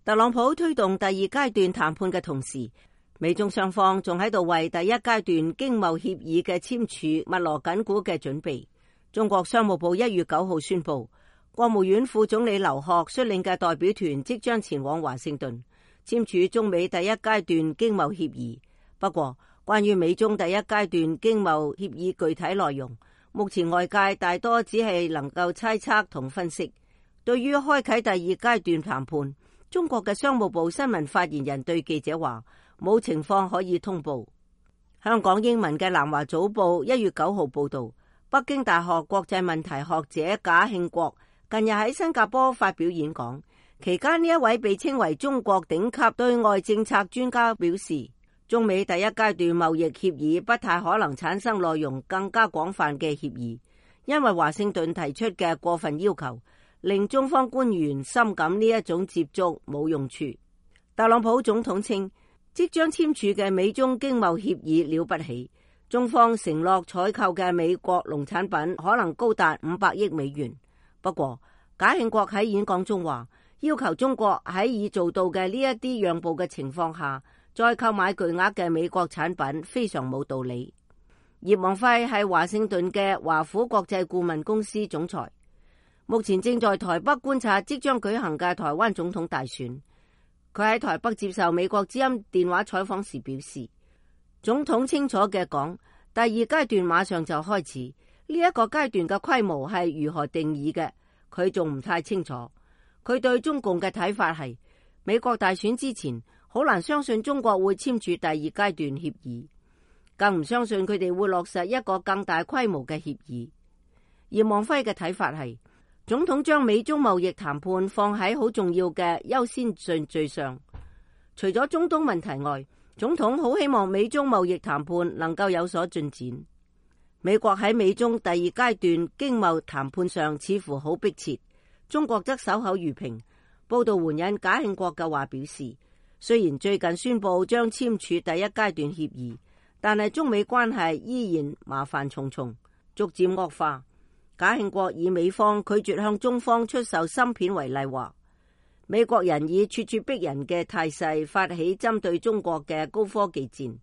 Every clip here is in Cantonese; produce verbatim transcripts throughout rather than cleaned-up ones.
特朗普推動第二階段談判嘅同時，美中雙方仲喺度為第一階段經貿協議嘅簽署密鑼緊鼓嘅準備。中國商務部一月九號宣布，國務院副總理劉鶴率領嘅代表團即將前往華盛頓簽署中美第一階段經貿協議。不過，關於美中第一階段經貿協議具體內容，目前外界大多只係能夠猜測同分析。對於開啟第二階段談判，中國嘅商務部新聞發言人對記者話，冇情況可以通報。香港英文嘅南華早報一月九號報道，北京大學國際問題學者賈慶國近日喺新加坡發表演講，期間呢一位被稱為中國頂級對外政策專家表示，中美第一階段貿易協議不太可能產生內容更加廣泛嘅協議，因為華盛頓提出嘅過分要求令中方官員深感呢一種接觸冇用處。特朗普總統稱，即將簽署嘅美中經貿協議了不起，中方承諾採購嘅美國農產品可能高達五百億美元。不過，賈慶國喺演講中話，要求中國喺已做到嘅呢一啲讓步嘅情況下，再購買巨額嘅美國產品非常冇道理。葉望輝係華盛頓嘅華府國際顧問公司總裁，目前正在台北觀察即將舉行嘅台灣總統大選。佢喺台北接受美國之音電話採訪時表示，總統清楚嘅講，第二階段馬上就開始，呢一個階段嘅規模係如何定義嘅，佢仲唔太清楚。佢對中共嘅睇法係，美國大選之前好難相信中國會簽署第二階段協議，更唔相信佢哋會落實一個更大規模嘅協議。葉望輝嘅睇法係，總統將美中貿易談判放喺好重要嘅優先順序上，除咗中東問題外，總統好希望美中貿易談判能夠有所進展。美國喺美中第二階段經貿談判上似乎好迫切，中國則守口如瓶。報道援引賈慶國嘅話表示，雖然最近宣布將簽署第一階段協議，但係中美關係依然麻煩重重，逐漸惡化。賈慶國以美方拒絕向中方出售芯片為例，話美國人以咄咄逼人嘅態勢發起針對中國嘅高科技戰，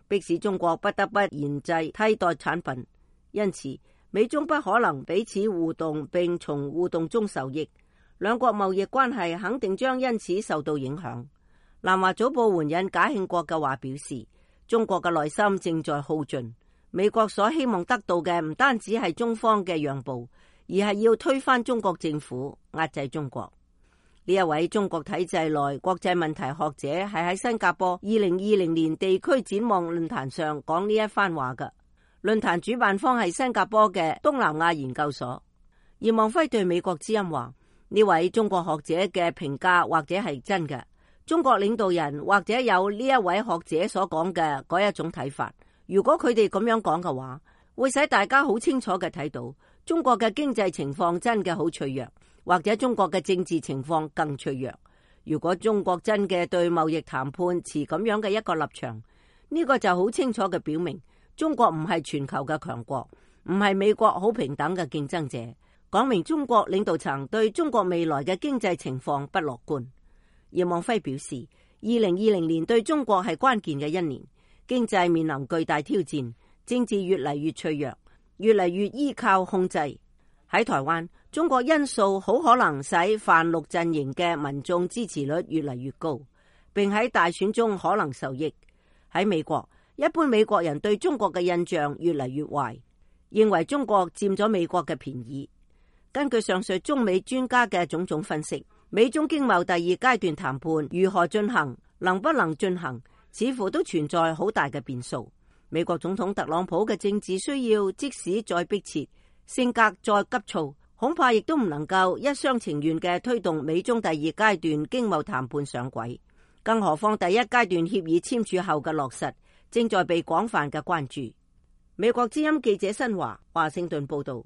迫使中國不得不研製替代產品。因此，美中不可能彼此互動並從互動中受益，兩國貿易關係肯定將因此受到影響。南華早報援引賈慶國嘅話表示，中國嘅內心正在耗盡。美國所希望得到嘅唔單止係中方嘅讓步，而係要推翻中國政府，壓制中國。呢一位中國體制內國際問題學者係喺新加坡二零二零年地區展望論壇上講呢一番話嘅。論壇主辦方係新加坡嘅東南亞研究所。葉望輝對美國之音話，呢位中國學者嘅評價或者係真嘅，中國領導人或者有呢一位學者所講嘅嗰一種睇法。如果佢哋咁樣講嘅話，會使大家好清楚嘅睇到中國嘅經濟情況真嘅好脆弱，或者中國嘅政治情況更脆弱。如果中國真嘅對貿易談判持咁樣嘅一個立場，呢個就好清楚嘅表明中國唔係全球嘅強國，唔係美國好平等嘅競爭者，講明中國領導層對中國未來嘅經濟情況不樂觀。葉望輝表示，二零二零年對中國係關鍵嘅一年。經濟面臨巨大挑戰，政治越嚟越脆弱，越嚟越依靠控制。喺台灣，中國因素好可能使泛綠陣營嘅民眾支持率越嚟越高，並喺大選中可能受益。喺美國，一般美國人對中國嘅印象越嚟越壞，認為中國佔咗美國嘅便宜。根據上述中美專家嘅種種分析，美中經貿第二階段談判如何進行，能不能進行，似乎都存在好大嘅變數。美國總統特朗普嘅政治需要即使再迫切，性格再急躁，恐怕亦都唔能夠一廂情願嘅推動美中第二階段經貿談判上軌。更何況第一階段協議簽署後嘅落實，正在被廣泛嘅關注。美國之音記者新華華盛頓報道。